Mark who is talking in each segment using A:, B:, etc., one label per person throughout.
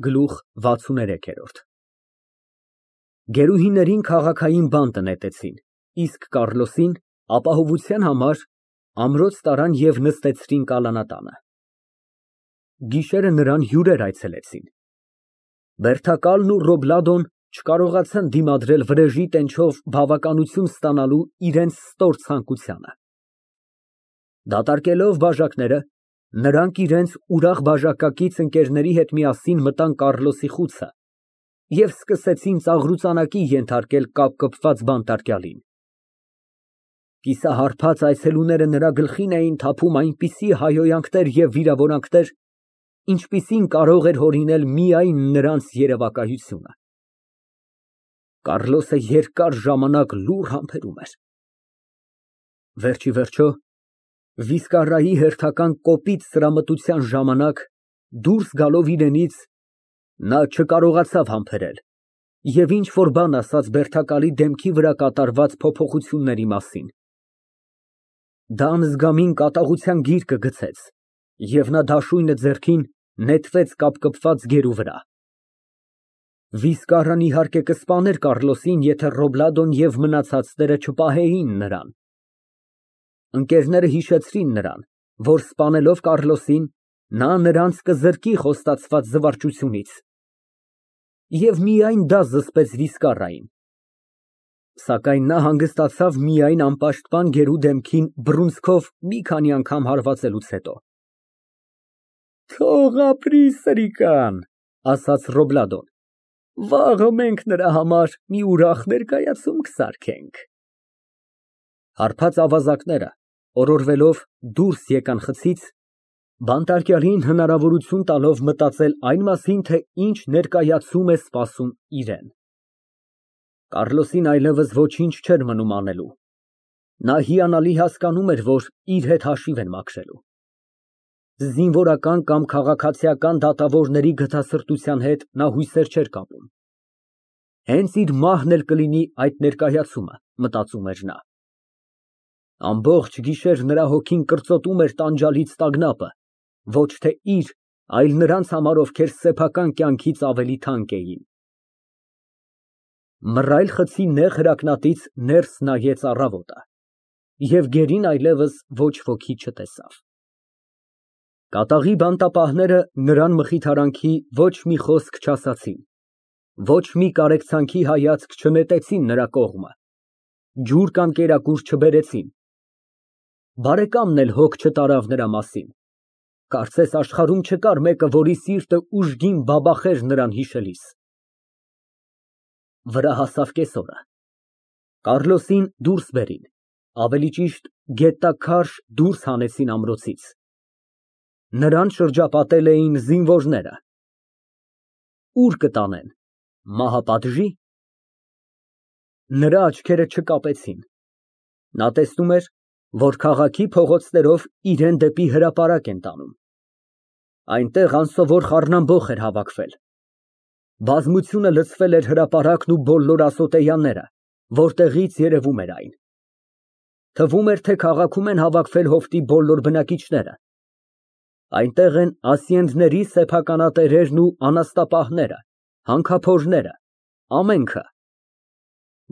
A: Գլուխ 63 Գերուհիներին քաղաքային բանտը նետեցին, իսկ Կառլոսին ապահովության համար ամրոց տարան և նստեցրին կալանատանը։ Գիշերը նրան հյուրեր այցելեցին։ Բերդակալն ու Ռոբլադոն չկարողացան դիմադրել վրեժի տենչով բավականություն ստանալու իրենց ստոր ցանկությանը։ Դատարկելով բաժակները, նրանք իրենց ուրախ բաժակակից ընկերների հետ միասին մտան Կառլոսի խուցը և սկսեցին ծաղրուծանակի ենթարկել կապկպված բանտարկյալին։ Կիսահարբած այցելուները նրա գլխին էին թափում այնպիսի հայհոյանքներ և վիրավորանքներ, ինչպիսին կարող էր հորինել միայն նրանց երևակայությունը։ Կառլոսը երկար ժամանակ լուռ համբերում էր։ Վերջ ի վերջո, վիսկարայի հերթական կոպիտ սրամտության ժամանակ, դուրս գալով իրենից, նա չկարողացավ համբերել և ինչ֊որ բան ասաց բերդակալի դեմքի վրա կատարված փոփոխությունների մասին։ Դա անզգամին կատաղության գիրկը գցեց, և նա դաշույնը ձեռքին նետվեց կապկպված գերու վրա։ Վիսկարան, իհարկե, կսպաներ Կառլոսին, եթե Ռոբլադոն և մնացածները չպահեին նրան։ Ընկերները հիշեցրին նրան, որ սպանելով Կառլոսին, նա նրանց կզրկի խոստացված զվարճությունից, և միայն դա զսպեց Վիսկարային, սակայն նա հանգստացավ միայն անպաշտպան գերու դեմքին բռունցքով մի քանի անգամ հարվածելուց հետո։ Թող ապրի սրիկան, ասաց Ռոբլադոն, վաղը մենք նրա համար մի ուրախ ներկայացում կսարքենք։ Հարբած ավազակները, օրորվելով, դուրս եկան խցից, բանտարկյալին հնարավորություն տալով մտածել այն մասին, թե ինչ ներկայացում է սպասում իրան։ Կառլոսին այլևս ոչինչ չէր մնում անելու։ Նա հիանալի հասկանում էր, որ իր հետ հաշիվ են մաքրելու։ Զինվորական կամ քաղաքացիական դատավորների գթասրտության հետ նա հույսեր չէր կապում։ Հենց իր մահն էլ կլինի այդ ներկայացումը, մտածում էր նա։ Ամբողջ գիշեր նրա հոգին կրծոտում էր տանջալից տագնապը, ոչ թե իր, այլ նրանց համար, ովքեր սեփական կյանքից ավելի թանկ էին։ Մռայլ խցի նեղ հրակնատից ներս նայեց առավոտը, և գերին այլևս ոչ ոքի չտեսավ։ Կատաղի բանտապահները նրան մխիթարանքի ոչ մի խոսք չասացին, ոչ մի կարեկցանքի հայացք չնետեցին նրա կողմը, ջուր կամ կերակուր չբերեցին։ Բարեկամն էլ հոգ չտարավ նրա մասին, կարծես աշխարհում չկար մեկը, որի սիրտը ուժգին բաբախեր նրան հիշելիս։ Վրա հասավ կեսօրը։ Կառլոսին դուրս բերին, ավելի ճիշտ գետաքարշ դուրս հանեցին ամրոցից։ Նրան շրջապատել էին զինվորները։ Ո՞ւր կտանեն, մահապատժի՞։ Նրա աչքերը չկապեցին։ Նա տեսնում էր, որ քաղաքի փողոցներով իրան դեպի հրապարակ են տանում։ Այնտեղ անսովոր խառնամբոխ էր հավաքվել։ Բազմությունը լցվել էր հրապարակն ու բոլոր ասոտեյանները, որտեղից երևում էր այն։ Թվում էր, թե քաղաքում են հավաքվել հովտի բոլոր բնակիչները։ Այնտեղ են ասիենդների սեփականատերերն ու անաստապահները, հանքափորները, ամենքը։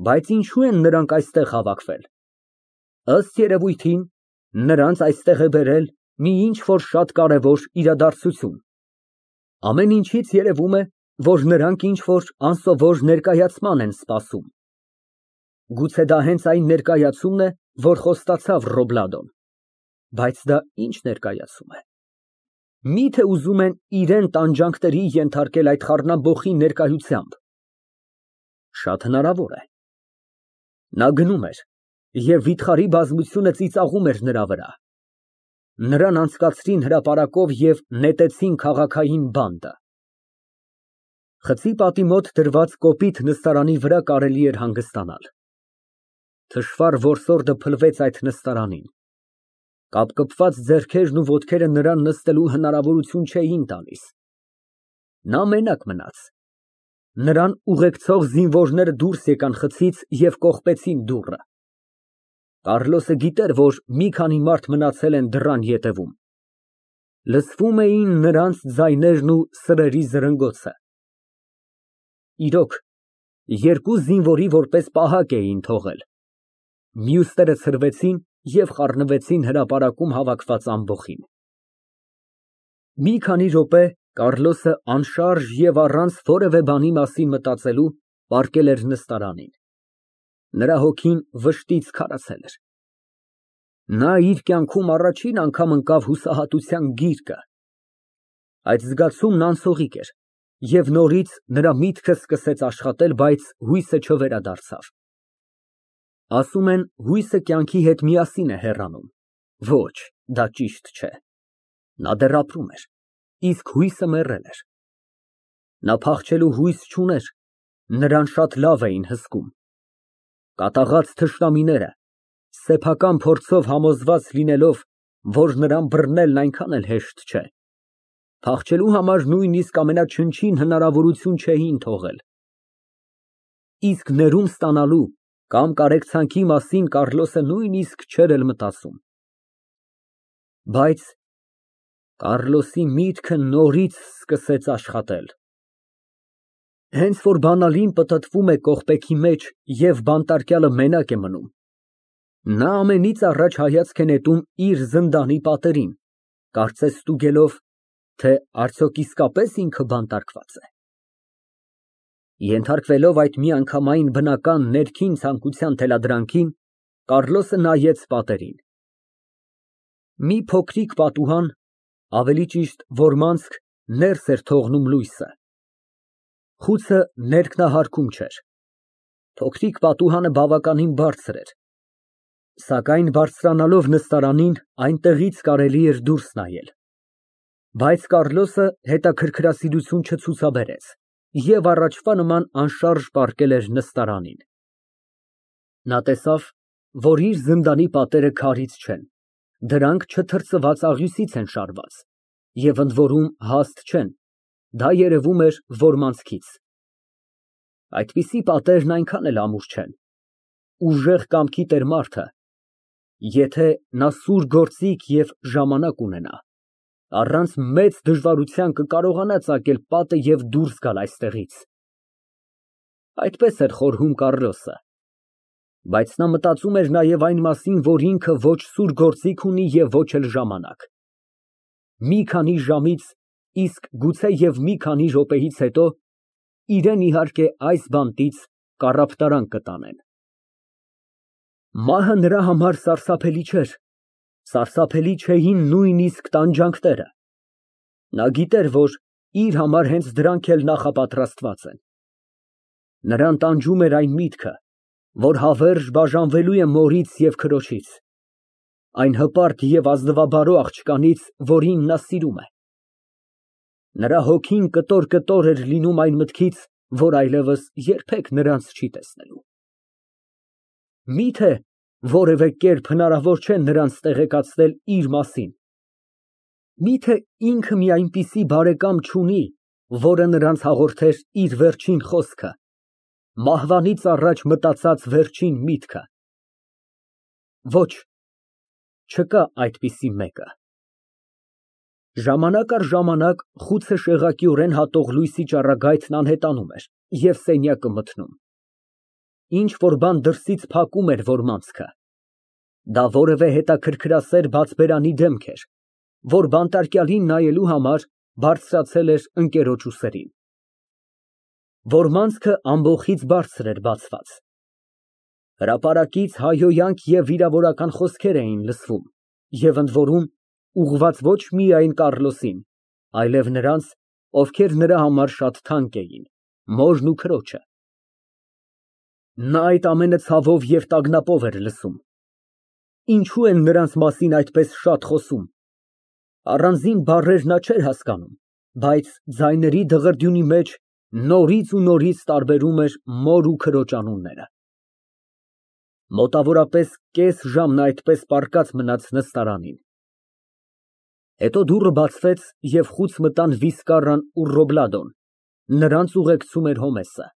A: Բայց ինչու են նրանք այստեղ հավաքվել։ Ըստ երևույթին, նրանց այստեղ է բերել մի ինչ֊որ շատ կարևոր իրադարձություն։ Ամեն ինչից երևում է, որ նրանք ինչ֊որ անսովոր ներկայացման են սպասում։ Գուցե դա հենց այն ներկայացումն է, որ խոստացավ Ռոբլադոն։ Բայց դա ի՞նչ ներկայացում է։ Մի՞թե ուզում են իրան տանջանքների ենթարկել այդ խառնամբոխի ներկայությամբ։ Շատ հնարավոր է։ Նա գնում էր, և վիթխարի բազմությունը ծիծաղում էր նրա վրա։ Նրան անցկացրին հրապարակով և նետեցին քաղաքային բանտը։ Խցի պատի մոտ դրված կոպիտ նստարանի վրա կարելի էր հանգստանալ։ Թշվառ որսորդը փլվեց այդ նստարանին։ Կապկպված ձեռքերն ու ոտքերը նրան նստելու հնարավորություն չէին տալիս։ Նա մենակ մնաց։ Նրան ուղեկցող զինվորները դուրս եկան խցից և կողպեցին դուռը։ Կառլոսը գիտեր, որ մի քանի մարդ մնացել են դռան ետևում։ Լսվում էին նրանց ձայներն ու սրերի զրնգոցը։ իրոք, երկու զինվորի որպես պահակ էին թողել։ Մյուսները ցրվեցին և խառնվեցին հրապարակում հավաքված ամբոխին։ Մի քանի րոպե Կառլոսը անշարժ և առանց որևէ բանի մասին մտածելու պառկել էր նստարանին։ Նրա հոգին վշտից քարացել էր։ Նա իր կյանքում առաջին անգամ ընկավ հուսահատության գիրկը։ Այդ զգացումն անցողիկ էր, և նորից նրա միտքը սկսեց աշխատել, բայց հույսը չվերադարձավ։ Ասում են, հույսը կյանքի հետ միասին է հեռանում։ Ոչ, դա ճիշտ չէ։ Նա դեռ ապրում էր, իսկ հույսը մեռել էր։ Նա փախչելու հույս չուներ, նրան շատ լավ էին հսկում։ Կատաղած թշնամիները, սեփական փորձով համոզված լինելով, որ նրան բռնելն այնքան էլ հեշտ չէ, փախչելու համար նույնիսկ ամենաչնչին հնարավորություն չէին թողել։ Իսկ ներում ստանալու կամ կարեկցանքի մասին Կառլոսը նույնիսկ չէր էլ մտածում։ Բայց Կառլոսի միտքը նորից սկսեց աշխատել։ Հենց որ բանալին պտտվում է կողպեքի մեջ և բանտարկյալը մենակ է մնում, նա ամենից առաջ հայացք է նետում իր զնդանի պատերին, կարծես ստուգելով, թե արդյոք իսկապես ինքը բանտարկված է։ Ենթարկվելով այդ միանգամայն բնական ներքին ցանկության թելադրանքին, Կառլոսը նայեց պատերին։ Մի փոքրիկ պատուհան, ավելի ճիշտ որմանցք, ներս էր թողնում լույսը։ Խուցը ներքնահարքում չէր։ Փոքրիկ պատուհանը բավականին բարձր էր, սակայն բարձրանալով նստարանին, այնտեղից կարելի էր դուրս նայել։ Բայց Կառլոսը հետաքրքրասիրություն չցուցաբերեց և առաջվա նման անշարժ պառկել էր նստարանին։ Նա տեսավ, որ իր զնդանի պատերը քարից չեն, դրանք չթրծված աղյուսից են շարված և ընդ որում հաստ չեն, դա երևում էր որմանցքից։ Այդպիսի պատերն այնքան էլ ամուր չեն։ Ուժեղ կամքի տեր մարդը, եթե նա սուր գործիք և ժամանակ ունենա, առանց մեծ դժվարության կկարողանա ծակել պատը և դուրս գալ այստեղից։ Այդպես էր խորհում Կառլոսը, բայց նա մտածում էր նաև այն մասին, որ ինքը ոչ սուր գործիք ունի և ոչ էլ ժամանակ։ Մի քանի ժամից, իսկ գուցե և մի քանի րոպեից հետո իրեն իհարկե այս բանտից կառափտարան կտանեն։ Մահը նրա համար սարսափելի չէր, սարսափելի չէին նույնիսկ տանջանքները։ Նա գիտեր, որ իր համար հենց դրանք էլ նախապատրաստված են։ Նրան տանջում էր այն միտքը, որ հավերժ բաժանվելու է մորից և քրոջից, այն հպարտ և ազնվաբարո աղջկանից, որին նա սիրում է։ Նրա հոգին կտոր էր լինում այն մտքից, որ այլևս երբեք նրանց չի տեսնելու։ Միթե որևէ կերպ հնարավոր չէ նրանց տեղեկացնել իր մասին։ Միթե ինքը մի այնպիսի բարեկամ չունի, որը նրանց հաղորդեր իր վերջին խոսքը, մահվանից առաջ մտածած վերջին միտքը։ Ոչ, չկա այդպիսի մեկը։ Ժամանակ առ ժամանակ խուցը շեղակիորեն հատող լույսի ճառագայթն անհետանում էր և սենյակը մթնում։ Ինչ֊որ բան դրսից փակում էր որմանցքը։ Դա որևէ հետաքրքրասեր բացբերանի դեմք էր, որ բանտարկյալին նայելու համար բարձրացել էր ընկերոջ ուսերին։ Որմանցքը ամբոխից բարձր էր բացված։ Հրապարակից հայհոյանք և վիրավորական խոսքեր էին լսվում և ընդ որում ուղղված ոչ միայն Կառլոսին, այլև նրանց, ովքեր նրա համար շատ թանկ էին, մորն ու քրոջը։ Նա այդ ամենը ցավով և տագնապով էր լսում։ Ինչո՞ւ են նրանց մասին այդպես շատ խոսում։ Առանձին բառեր նա չէր հասկանում, բայց ձայների դղրդյունի մեջ նորից ու նորից տարբերում էր մոր ու քրոջ անունները։ Մոտավորապես կես ժամ նա այդպես պառկած մնաց նստարանին։ Հետո դուռը բացվեց և խուց մտան Վիսկարրան ու Ռոբլադոն, նրանց ուղեկցում էր Հոմեսը։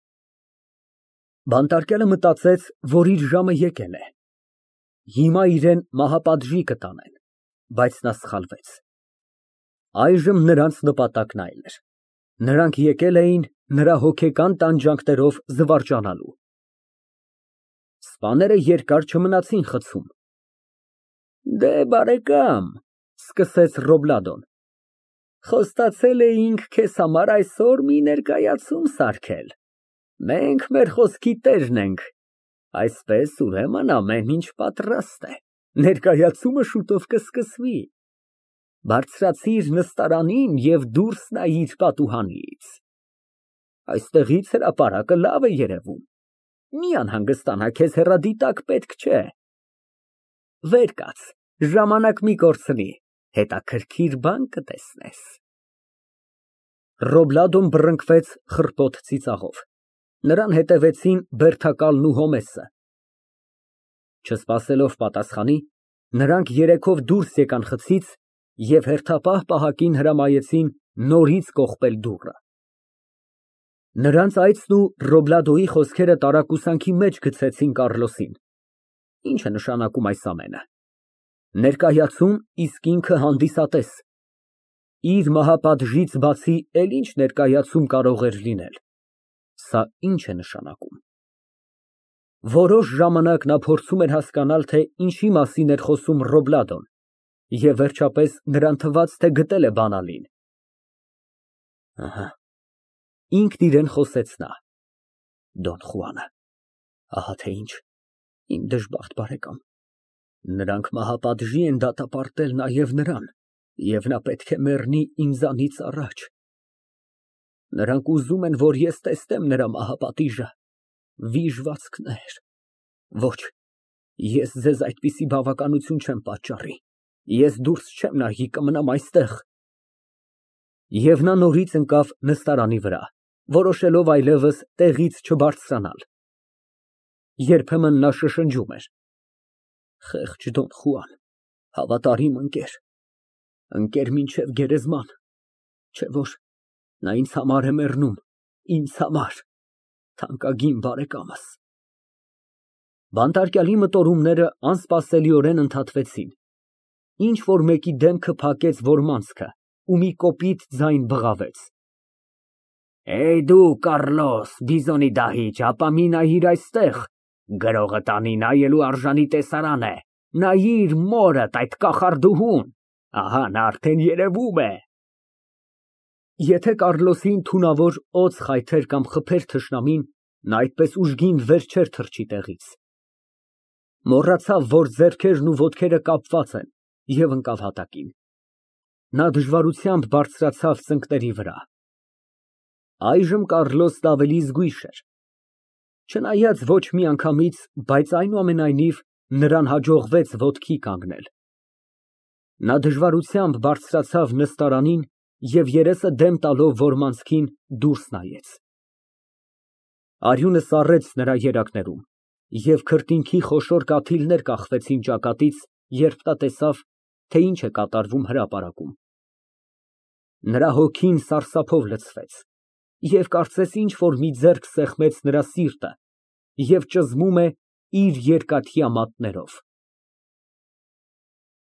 A: Բանտարկյալը մտածեց, որ իր ժամը եկել է։ Հիմա իրան մահապատժի կտանեն, բայց նա սխալվեց։ Այժմ նրանց նպատակն այլ էր։ Նրանք եկել էին նրա հոգեկան տանջանքներով զվարճանալու։ Սպաները երկար չմնացին խցում։ Դե, բարեկամ, սկսեց Ռոբլադոն, խոստացել էինք քեզ համար այսօր մի ներկայացում սարքել։ Մենք մեր խոսքի տերն ենք, այսպես ուրեմն ամեն ինչ պատրաստ է, ներկայացումը շուտով կսկսվի։ Բարձրացիր նստարանին և դուրս նայիր պատուհանից։ Այստեղից հրապարակը լավ է երևում, մի անհանգստանա, քեզ հեռադիտակ պետք չէ։ Վեր կաց, ժամանակ մի կորցնի, հետաքրքիր բան կտեսնես։ Ռոբլադոն բռնկվեց խռպոտ ծիծաղով, նրան հետևեցին Բերթակալն ու Հոմեսը։ Չսպասելով պատասխանի, նրանք երեքով դուրս եկան խցից և հերթապահ պահակին հրամայեցին նորից կողպել դուռը։ Նրանց այցն ու Ռոբլադոյի խոսքերը տարակուսանքի մեջ գցեցին Կառլոսին։ Ինչ է նշանակում այս ամենը։ Ներկայացում, իսկ ինքը հանդիսատես։ Իր մահապատժից բացի էլ ինչ ներկայացում կարող էր լինել։ Սա ինչ է նշանակում։ Որոշ ժամանակ նա փորձում էր հասկանալ, թե ինչի մասին էր խոսում Ռոբլադոն, և վերջապես նրան թվաց, թե գտել է բանալին։ Ահա, ինքն իրեն խոսեց նա։ Դոն Խուանը, ահա թե ինչ, իմ դժբախտ բարեկամ, նրանք մահապատժի են դատապարտել նաև նրան, և նա պետք է մեռնի ինձանից առաջ։ Նրանք ուզում են, որ ես տեսնեմ նրա մահապատիժը, վիժվածքներ։ Ոչ, ես ձեզ այդպիսի բավականություն չեմ պատճառի, ես դուրս չեմ նայի, կմնամ այստեղ։ Եվ նա նորից ընկավ նստարանի վրա, որոշելով այլևս տեղից չբարձրանալ։ Երբեմն նա շշնջում էր. Խեղճ Դոն Խուան, հավատարիմ ընկեր, ընկեր մինչև գերեզման, չէ՞ որ նա ինձ համար է մեռնում, ինձ համար, թանկագին բարեկամս։ Բանտարկյալի մտորումները անսպասելիորեն ընդհատվեցին, ինչ֊որ մեկի դեմքը փակեց որմանցքը ու մի կոպիտ ձայն բղավեց. Դու, Կառլոս, բիզոնի դահիճ, ապա մի նայիր այստեղ, գրողը տանի նայելու արժանի տեսարան է, նայիր մորդ, այդ կախարդուհուն, ահա նա արդեն երևում է։ Եթե Կառլոսին թունավոր օձ խայթեր կամ խփեր թշնամին, նա այդպես ուժգին վեր չէր թռչի տեղից։ Մոռացավ, որ ձեռքերն ու ոտքերը կապված են, և ընկավ հատակին։ Նա դժվարությամբ բարձրացավ ծնկների վրա։ Այժմ Կառլոսն ավելի զգույշ էր։ Չնայած ոչ մի անգամից, բայց այնուամենայնիվ նրան հաջողվեց ոտքի կանգնել։ Նա դժվարությամբ բարձրացավ նստարանին և երեսը դեմ տալով որմանցքին դուրս նայեց։ Արյունը սառեց նրա երակներում, և քրտինքի խոշոր կաթիլներ կախվեցին ճակատից, երբ նա տեսավ, թե ինչ է կատարվում հրապարակում։ Նրա հոգին սարսափով լցվեց, և կարծես ինչ֊որ մի ձեռք սեղմեց նրա սիրտը և ճզմում է իր երկաթյա մատներով։